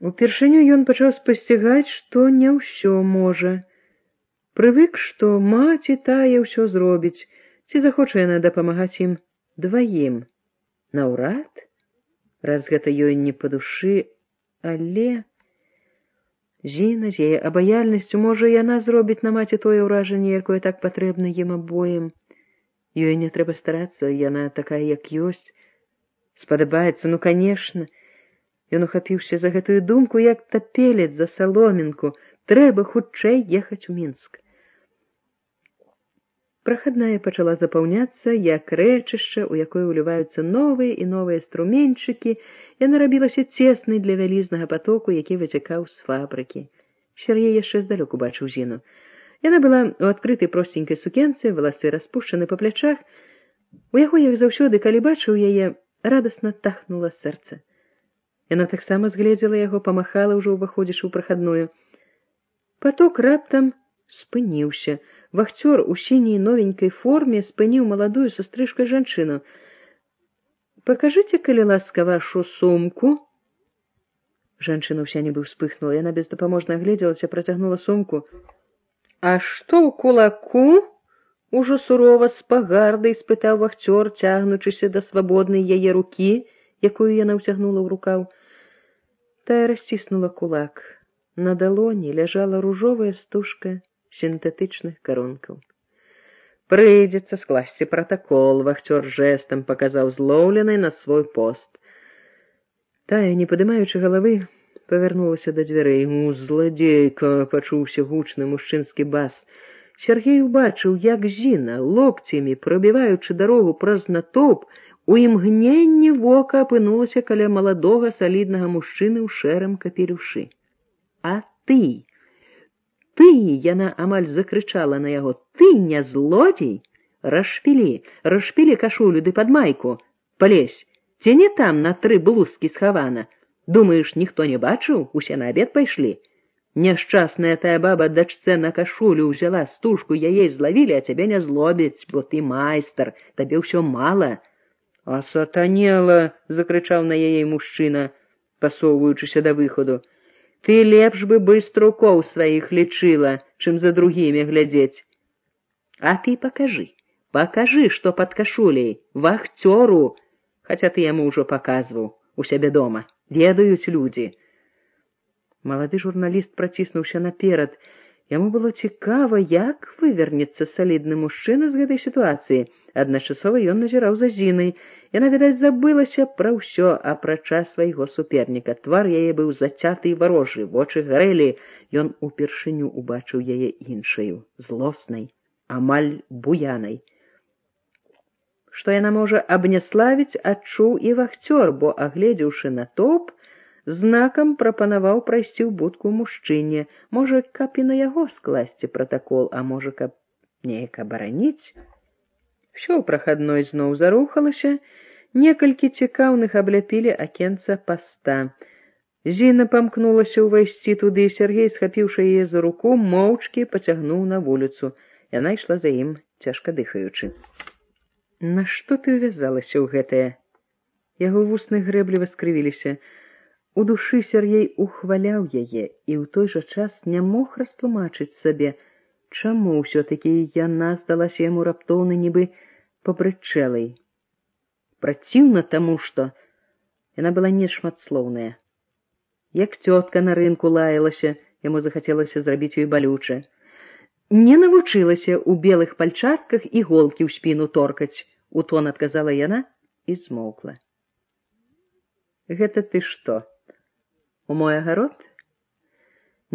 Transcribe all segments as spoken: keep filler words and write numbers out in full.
Упершыню ён пачаў спасцігаць, што не ўсё можа. Прывык, што маці тая ўсё зробіць, ці захоча яна дапамагаць ім дваім. Наўрад, раз гэта ёй не па душы, але... Зіна з яе абаяльнасцю, можа, яна зробіць на маці тое ўражанне, якое так патрэбна ім абоім. Ёй не трэба старацца, яна такая, як ёсць. Спадабаецца, ну, канешне. Ён ухапіўся за гэтую думку, як тапелец за саломінку. Трэба хутчэй ехаць у Мінск. Прахадная пачала запаўняцца, як рэчышча, у якое ўліваюцца новыя і новыя струменьчыкі. Яна рабілася цеснай для вялізнага патоку, які выцякаў з фабрыкі. Сяргей яшчэ здалёк убачыў Зіну. Яна была ў адкрытай просценькай сукенцы, валасы распушчаны па плячах. У яго, як заўсёды, калі бачыў яе, радасна тахнула сэрца. Яна таксама згледзела яго, памахала ўжо ўваходзячы ў прахадную. Паток раптам спыніўся. Вахцёр у сіняй новенькай форме спыніў маладую са стрыжкай жанчыну. «Пакажыце, калі ласка, вашу сумку». Жанчына ўся нібы ўспыхнула. Яна бездапаможна агледзелася, працягнула сумку. «А што ў кулаку?» Ужо сурова з пагардай спытаў вахцёр, цягнучыся да свабоднай яе рукі, якую яна ўцягнула ў рукаў. Тая расціснула кулак. На далоні ляжала ружовая стужка сінтэтычных карункаў. «Прыйдзецца скласці пратакол», — вахцёр жэстам паказаў злоўленай на свой пост. Тая, не падымаючы галавы, павярнулася да дзвярэй. «У, зладзейка!» — пачуўся гучны мужчынскі бас. Сяргей убачыў, як Зіна, локцямі прабіваючы дарогу праз натоўп, у імгненні вока апынулася каля маладога саліднага мужчыны ў шэрым капелюшы. «А ты! Ты!» — яна амаль закрычала на яго. «Ты не злодзей? Расшпілі, расшпілі кашулю ды пад майку. Палезь, ці не там на тры блузкі схавана? Думаеш, ніхто не бачыў? Усе на абед пайшлі? Няшчасная тая баба дачцэ на кашулю ўзяла стужку, яе злавілі, а цябе не злобіць, бо ты майстар, табе ўсё мала». «А сатанела!» — закрычаў на яе мужчына, пасоўваючыся да выходу. «Ты лепш бы быструкоў сваіх лічыла, чым за другімі глядзець. А ты пакажы, пакажы, што пад кашуляй, вахцёру, хаця ты яму ўжо паказваў у сябе дома. Ведаюць людзі». Малады журналіст праціснуўся наперад. Яму было цікава, як вывернецца салідны мужчына з гэтай сітуацыі. Адначасова ён назіраў за Зінай. Яна, відаць, забылася пра ўсё, апрача свайго суперніка. Твар яе быў зацяты і варожы, вочы гарэлі. Ён упершыню убачыў яе іншаю, злоснай, амаль буянай. Што яна можа абняславіць, адчуў і вахцёр, бо, агледзеўшы натоўп, знакам прапанаваў прайсці ў будку мужчыне. Можа, каб і на яго скласці пратакол, а можа, каб неяк абараніць. Усё ў прахадной зноў зарухалася. Некалькі цікаўных абляпілі акенца паста. Зіна памкнулася ўвайсці туды, Сяргей, схапіўшы яе за руку, моўчкі пацягнуў на вуліцу. Яна ішла за ім, цяжка дыхаючы. «Нашто ты ўвязалася ў гэтае?» Яго вусны грэбліва скрывіліся. У душы Сяргей ухваляў яе і ў той жа час не мог растлумачыць сабе, чаму ўсё-такі яна здалася яму раптоўна нібы пабрычэлай. Праціўна таму, што яна была нешматслоўная. Як цётка на рынку лаялася, яму захацелася зрабіць ёй балюча. Не навучылася ў белых пальчатках іголкі ў спіну торкаць, у тон адказала яна і змоўкла. «Гэта ты што? У мой агарод?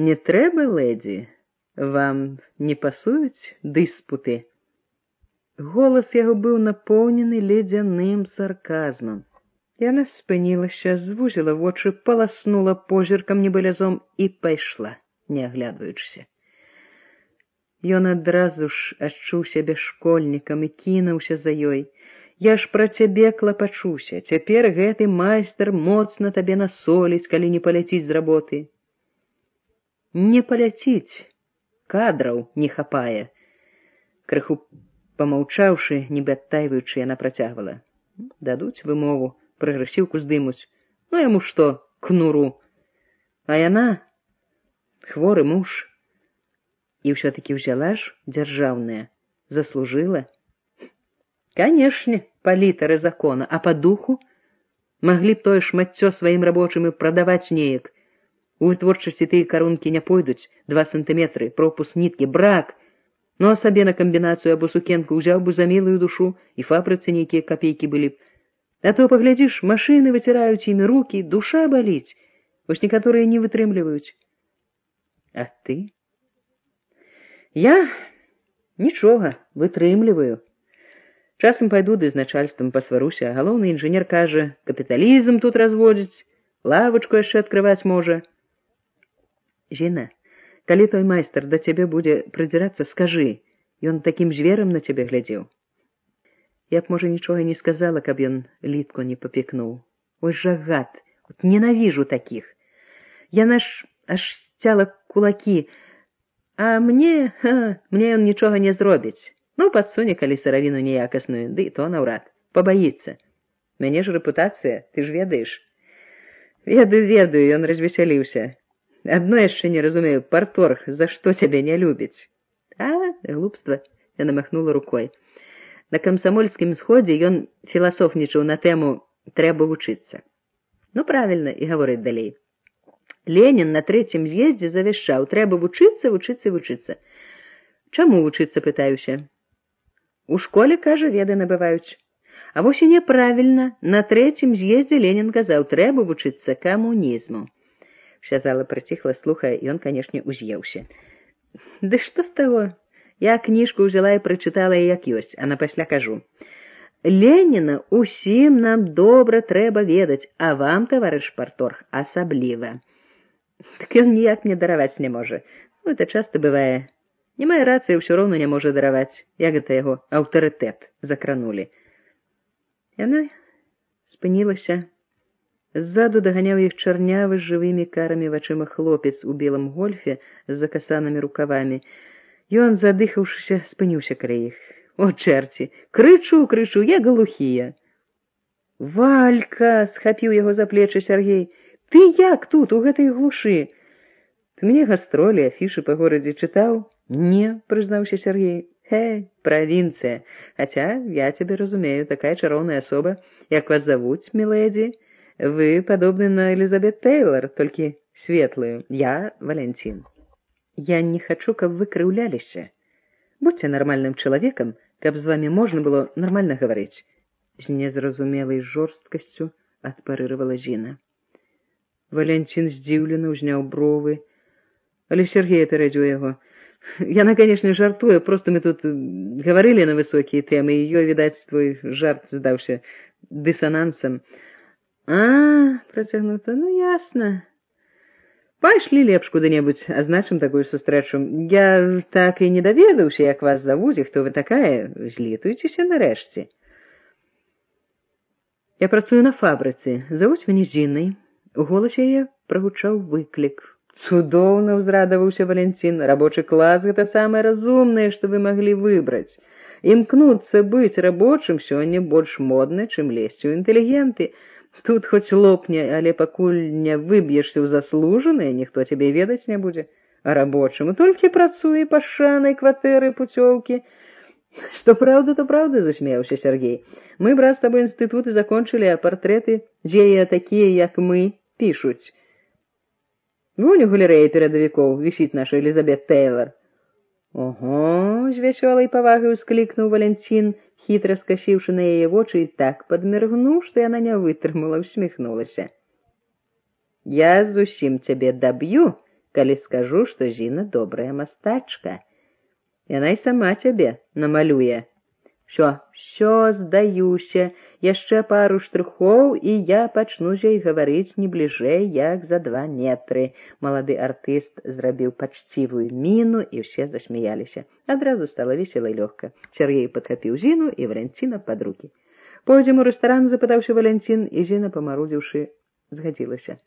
Не трэба, лэдзі, вам не пасуюць дыспуты?» Голас яго быў напоўнены ледзяным сарказмам. Яна спынілася, звузіла вочы, паласнула позіркам небылязом і пайшла, не аглядваючыся. Ён адразу ж адчуў сябе школьнікам і кінуўся за ёй. «Я ж пра цябе клапачуся, цяпер гэты майстар моцна табе насоліць, калі не паляціць з работы». «Не паляціць, кадраў не хапае». Крыху помаўчаўшы, нібы адтайваючы, яна працягвала. «Дадуць вымову, прагрэсіўку здымуць. Ну яму што, кнуру. А яна хворы муж. І ўсё-такі ўзяла ж дзяржаўная. Заслужыла. Канешне, па літары закона, а па духу маглі б тое шмаццё сваім рабочым і прадаваць неяк. У вытворчасці тыя карункі не пойдуць, два сантыметры, пропуск ніткі, брак. Ну а сабе на камбінацыю або сукенку ўзяў бы за мілую душу, і фабрыцы нейкія капейкі былі б. А то, паглядзіш, машыны выціраюць імі рукі, душа баліць. Вось некаторыя не вытрымліваюць. А ты? Я нічога, вытрымліваю. Часам пайду ды з начальствам пасваруся, а галоўны інжынер кажа, капіталізм тут разводзіць, лавачку яшчэ адкрываць можа. Зіна, калі той майстар да цябе будзе прыдзірацца, скажы, ён такім зверам на цябе глядзеў. Я б, можа, нічога не сказала, каб ён літку не папекнуў. Ой, жа гад, от ненавіжу такіх. Яна ж аж сцяла кулакі, а мне, ха, мне ён нічога не зробіць. Ну, падсуне, калі сыравіну неякасную, ды і то наўрад, пабаіцца. Мяне ж рэпутацыя, ты ж ведаеш. Ведаю, ведаю, ён развесяліўся. Адно яшчэ не разумею, парторг, за што цябе не любіць? А, глупства, яна махнула рукой. На камсамольскім сходзе ён філасофнічаў на тэму «трэба вучыцца». Ну, правільна, і гаворыць далей. Ленін на трэцім з'ездзе завяшчаў, трэба вучыцца, вучыцца, вучыцца. Чаму вучыцца, пытаюся? У школе, кажа, веды набываюць. А вось і няправільна, на трэцім з'ездзе Ленін казаў, трэба вучыцца камунізму. Вся зала прыціхла, слухая, і ён, канешне, уз'еўся. Ды што з таго? Я кніжку ўзяла і прачытала, як ёсць, а напасля кажу. Леніна усім нам добра трэба ведаць, а вам, таварыш парторг, асабліва. Так ён ніяк мне дараваць не можа. Ну, это часта бывае. Не мае рацыі, ўсё роўна не можа дараваць. Як гэта яго аўтарытэт закранулі. Яна спынілася. Ззаду даганяў іх чарнявы з жывымі карамі вачыма хлопец у белым гольфе з закасанымі рукавамі. Ён, задыхаўшыся, спыніўся каля іх. О, чэрці! Крычу, крычу, я глухія. Валька! — схапіў яго за плечы Сяргей. Ты як тут, у гэтай глушы? Ты мне гастролі, афішы па горадзе чытаў? Не, прызнаўся Сяргей. Хе, правінцыя. Хаця, я цябе разумею, такая чароўная асоба. Як вас завуць, мілэдзі? Вы падобны на Элізабет Тейлор, толькі светлую. Я Валянцін. Я не хачу, каб вы крыўляліся. Будьце нармальным чалавекам, каб з вамі можна было нармальна гаварыць. З незразумелай жорсткасцю адпарыравала Зіна. Валянцін здзіўлена ўзняў бровы, але Сергей апярэдзіў яго. Яна, канешне, жартуе, проста мы тут гаварылі на высокія тэмы, і ёй, відаць, твой жарт здаўся дысанансам. А, працягнута, ну ясна. Пайшлі лепш куды-небудзь, азначым такую сустрэчу. Я так і не даведаўся, як вас завуць, і хто вы такая. Злітуйцеся нарэшце. Я працую на фабрыцы. Завуць мяне Зінай. У голасе яе прагучаў выклік. Цудоўна, ўзрадаваўся Валянцін. Рабочы клас — гэта самае разумнае, што вы маглі выбраць. Імкнуцца быць рабочым сёння больш модна, чым лезці ў інтэлігенты. Тут хоць лопне, але пакуль не выб'ешся ў заслужанае, ніхто цябе ведаць не будзе. А рабочым толькі працуе пашанай кватэры, пуцёўкі. Што праўда, то праўда, засмеяўся Сергей. Мы, брат, з табой інстытуты закончылі, а партрэты, дзе такія, як мы, пішуць. Вунь у галерэі перадавікоў вісіць наша Элізабет Тейлор. Ого, з вясёлай павагай усклікнуў Валянцін, хітра скасіўшы на яе вочы, і так падміргнуў, што яна не вытрымала, усміхнулася. Я зусім цябе даб'ю, калі скажу, што Зіна добрая мастачка. Яна і сама цябе намалюе. Всё, всё, здаюся, яшчэ пару штрыхоў, і я пачну з ёй гаварыць не бліжэй, як за два метры. Малады артыст зрабіў пачцівую міну, і ўсе засмяяліся. Адразу стала весела і лёгка. Сергей падхапіў Зіну і Валянціна пад рукі. Пойдзем у рэстаран, запытаўся Валянцін, і Зіна, памарудзіўшы, згадзілася.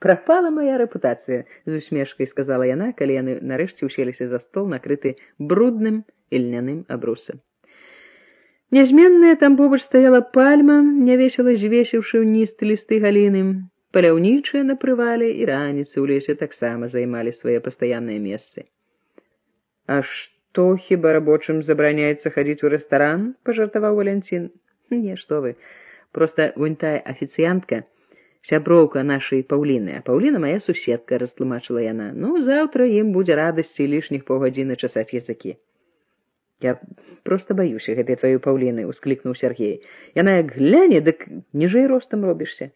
Прапала моя рэпутацыя, з усмешкай сказала яна, калі яны нарэшце уселіся за стол, накрыты брудным і льняным абрусам. Нязменная там побач стаяла пальма, нявесела звесіўшы ўніз лісты галіны. Паляўнічыя на прывале і раніцы ў лесе таксама займалі свае пастаянныя месцы. А што, хіба рабочым забараняецца хадзіць у рэстаран? Пажартаваў Валянцін. Не, што вы, проста вунь тая афіцыянтка, сяброўка нашай Паўліны, а Паўліна мая суседка, растлумачыла яна. Ну, заўтра ім будзе радасці лішніх паўгадзіны часаць языкі. Я проста баюся гэтай тваёй Паўліны, усклікнуў Сяргей. Яна як гляне, дык ніжэй ростам робішся.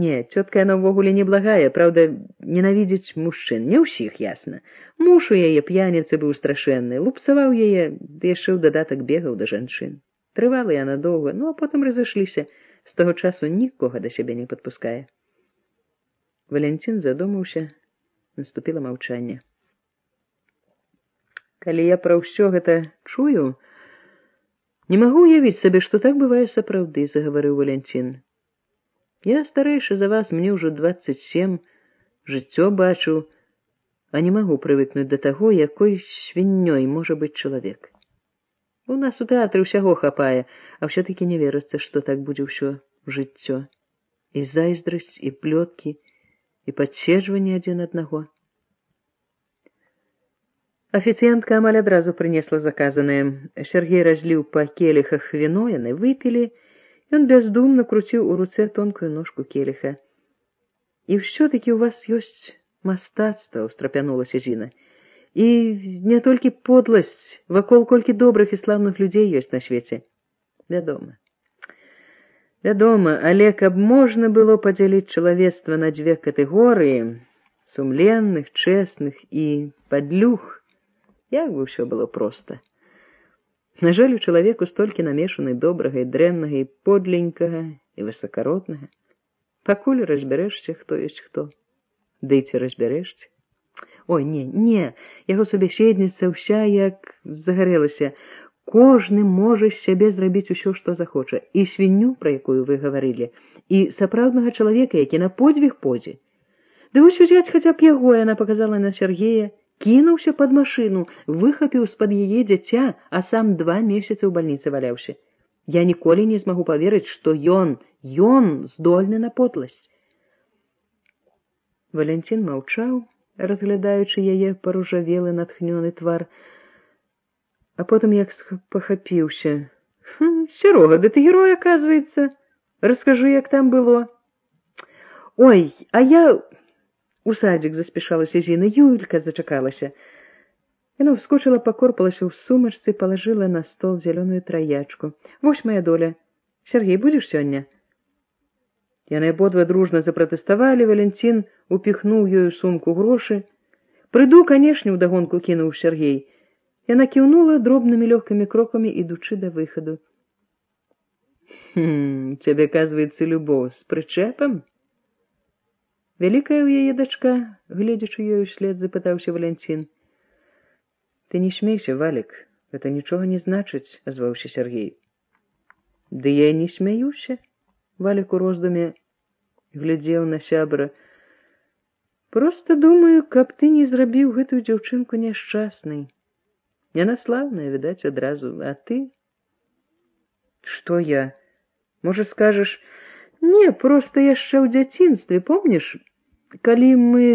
Не, цётка яна ўвогуле неблагая, праўда, ненавідзіць мужчын, не ўсіх, ясна. Муж у яе п'яніцы быў страшэнны, лупцаваў яе, ды яшчэ ў дадатак бегаў да жанчын. Трывала яна доўга, ну а потым разышліся. З таго часу нікога да сябе не падпускае. Валянцін задумаўся, наступіла маўчанне. Калі я пра ўсё гэта чую, не магу уявіць сабе, што так бывае сапраўды, загаварыў Валянцін. Я старэйшы за вас, мне ўжо дваццаць сем, жыццё бачу, а не магу прывыкнуць да таго, якой свіннёй можа быць чалавек. У нас у тэатры ўсяго хапае, а ўсё-такі не верыцца, што так будзе ўсё жыццё. І зайздрасць, і плёткі, і падседжванне адзін аднаго. Афіцыянтка амаль адразу прынесла заказанае. Сяргей разліў па келіхах віно, яны выпілі. Ён бяздумна круціў у руцэ тонкую ножку келіха. І ўсё-такі ў вас ёсць мастацтва, устрапянулася Зіна. І не толькі подласць, вакол колькі добрых і слаўных людзей ёсць на свеце. Вядома. Вядома, але каб можна было падзяліць чалавецтва на дзве катэгорыі, сумленных, чэсных і падлюх, як бы ўсё было проста. На жаль, у чалавеку столькі намешаны добрага і дрэннага, і подленькага, і высакароднага. Пакуль разбярэшся, хто ёсць хто. Ды ці разбярэшся? Ой, не, не, яго субяседніца ўся як загарэлася. Кожны можа з сябе зрабіць усё, што захоча. І свінню, пра якую вы гаварылі, і сапраўднага чалавека, які на подзвіг пойдзе. Ды вось узяць хаця б яго, яна паказала на Сяргея, кінуўся пад машыну, выхапіў з-пад яе дзіця, а сам два месяцы ў бальніцы валяўся. Я ніколі не змагу паверыць, што ён, ён здольны на подласць. Валянцін маўчаў, разглядаючы яе паружавелы натхнёны твар, а потым як пахапіўся. Хм, Серога, да ты герой, аказваецца. Раскажы, як там было. Ой, а я... У садзік заспешалася Зіна, Юлька зачакалася. Яна ўскочыла, пакорпалася ў сумачцы, палажыла на стол зялёную траячку. Вось моя доля. Сяргей, будзеш сёння? Яны абодва дружна запратэставалі, Валянцін упіхнуў ёю сумку грошы. Прыйду, канешне, удагонку кінуў Сяргей. Яна кіўнула дробнымі лёгкімі крокамі, ідучы да выхаду. Хм, цябе, аказваецца, любоў з прычэпам? Вялікая ў яе дачка, гледзячы ёю след, запытаўся Валянцін. Ты не смейся, Валік, гэта нічога не значыць, азваўся Сяргей. Ды я не смяюся. Валік у роздуме глядзеў на сябра. Проста думаю, каб ты не зрабіў гэтую дзяўчынку няшчаснай. Яна слаўная, відаць, адразу, а ты? Што я? Можа, скажаш, не, проста яшчэ ў дзяцінстве, помніш, калі мы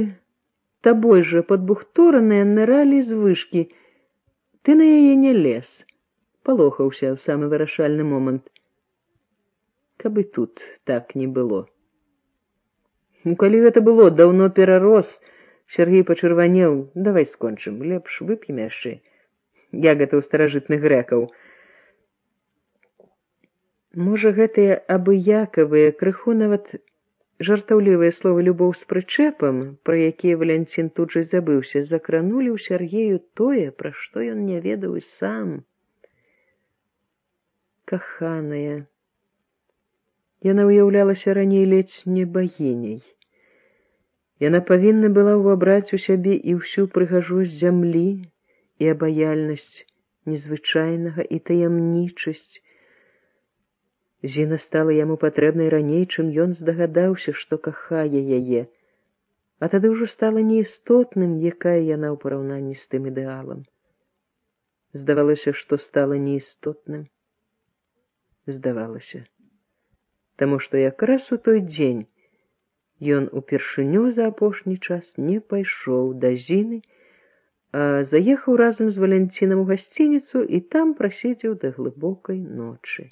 табой жа падбухтораныя ныралі з вышкі, ты на яе не лез, палохаўся ў самы вырашальны момант. Каб і тут так не было. Ну, калі гэта было, даўно перарос, Сяргей пачырванеў, давай скончым, лепш вып'ем яшчэ. Як гэта ў старажытных грэкаў. Можа, гэтыя абыякавыя, крыху нават жартаўлівыя словы «любоў з прычэпам», пра якія Валянцін тут жа забыўся, закранулі ў Сяргею тое, пра што ён не ведаў і сам. Каханая. Яна ўяўлялася раней ледзь не багіняй. Яна павінна была ўвабраць у сябе і ўсю прыгажосць зямлі, і абаяльнасць незвычайнага, і таямнічасць. Зіна стала яму патрэбнай раней, чым ён здагадаўся, што кахае яе, а тады ўжо стала неістотным, якая яна ў параўнанні з тым ідэалам. Здавалася, што стала неістотным. Здавалася. Таму што якраз у той дзень Ён упершыню за апошні час не пайшоў да Зіны, а заехаў разам з Валянцінам у гасцініцу і там прасидзеў да глыбокай ночы.